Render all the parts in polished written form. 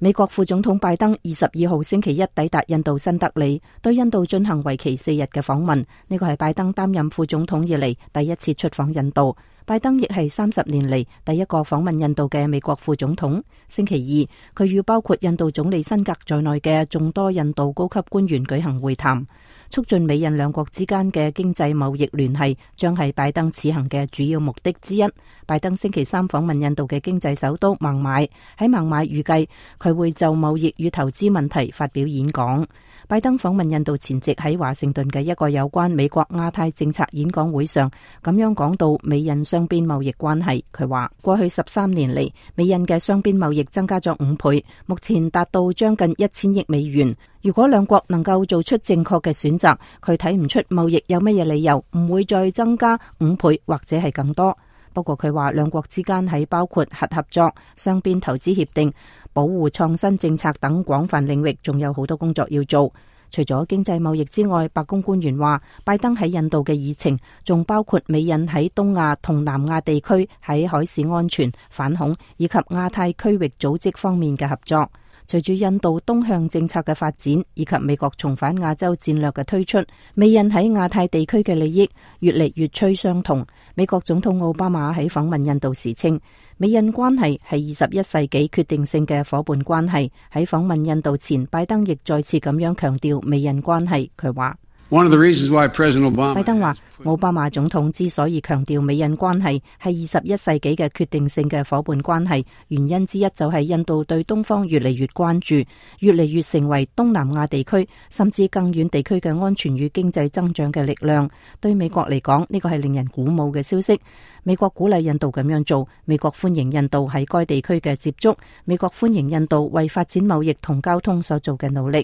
美國副總統拜登22號星期一抵達印度新德里，對印度進行為期4日嘅訪問。呢個係拜登擔任副總統以嚟第一次出訪印度。拜登亦係30年嚟第一個訪問印度嘅美國副總統。星期二，佢與包括印度總理辛格在內嘅眾多印度高級官員舉行會談，促進美印兩國之間嘅經濟貿易聯繫，將係拜登此行嘅主要目的之一。拜登星期三訪問印度嘅經濟首都孟買，喺孟買預計佢會就貿易與投資問題發表演講。拜登訪問印度前夕喺華盛頓嘅一個有關美國亞太政策演講會上，咁樣講到美印雙邊貿易關係。佢話過去13年嚟，美印嘅雙邊貿易增加咗5倍，目前達到將近1000億美元。如果兩國能夠做出正確嘅選擇，佢睇唔出貿易有乜嘢理由唔會再增加5倍或者係更多。不過佢話兩國之間喺包括核合作、雙邊投資協定、保護創新政策等廣泛領域，仲有好多工作要做。除咗經濟貿易之外，白宮官員話，拜登喺印度嘅議程仲包括美印喺東亞同南亞地區喺海事安全、反恐以及亞太區域組織方面嘅合作。隨住印度東向政策嘅發展，以及美國重返亞洲戰略嘅推出，美印喺亞太地區嘅利益越嚟越趨相同。美國總統奧巴馬喺訪問印度時稱，美印關係係21世紀決定性嘅夥伴關係。喺訪問印度前，拜登亦再次咁樣強調美印關係。佢話，拜登話，奧巴馬總統之所以強調美印關係係21世紀嘅決定性嘅夥伴關係，原因之一就係印度對東方越嚟越關注，越嚟越成為東南亞地區甚至更遠地區嘅安全與經濟增長嘅力量。對美國嚟講，呢個係令人鼓舞嘅消息。美國鼓勵印度咁樣做，美國歡迎印度喺該地區嘅接觸，美國歡迎印度為發展貿易同交通所做嘅努力。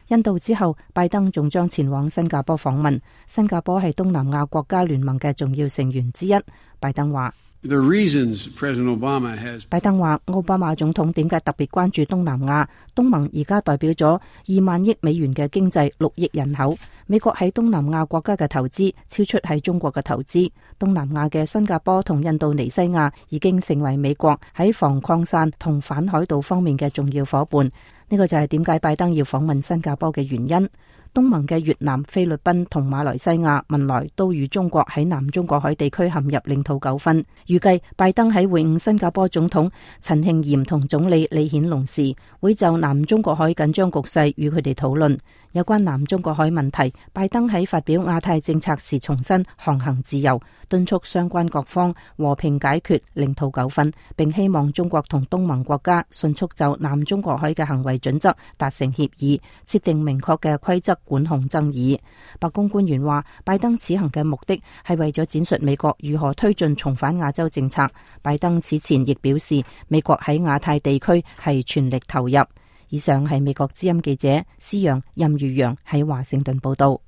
印度之後，拜登仲將前往新加坡訪問。新加坡係東南亞國家聯盟嘅重要成員之一。拜登話，奧巴馬總統點解特別關注東南亞？東盟而家代表咗2萬億美元嘅經濟，6億人口。美國喺東南亞國家嘅投資超出喺中國嘅投資。東南亞嘅新加坡同印度尼西亞已經成為美國喺防擴散同反海盜方面嘅重要夥伴。呢個就係點解拜登要訪問新加坡嘅原因。東盟嘅越南、菲律賓同馬來西亞文萊都與中國喺南中國海地區陷入領土糾紛。預計拜登喺會晤新加坡總統陳慶炎同總理李顯龍時，會就南中國海緊張局勢與佢哋討論。有關南中國海問題，拜登喺發表亞太政策時重申航行自由，敦促相關各方和平解決領土糾紛，並希望中國同東盟國家迅速就南中國海嘅行為準則達成協議，設定明確嘅規則管控爭議。白宮官員話，拜登此行嘅目的係為咗展述美國如何推進重返亞洲政策。拜登此前亦表示，美國喺亞太地區係全力投入。以上係美國之音記者施陽、任如陽喺華盛頓報道。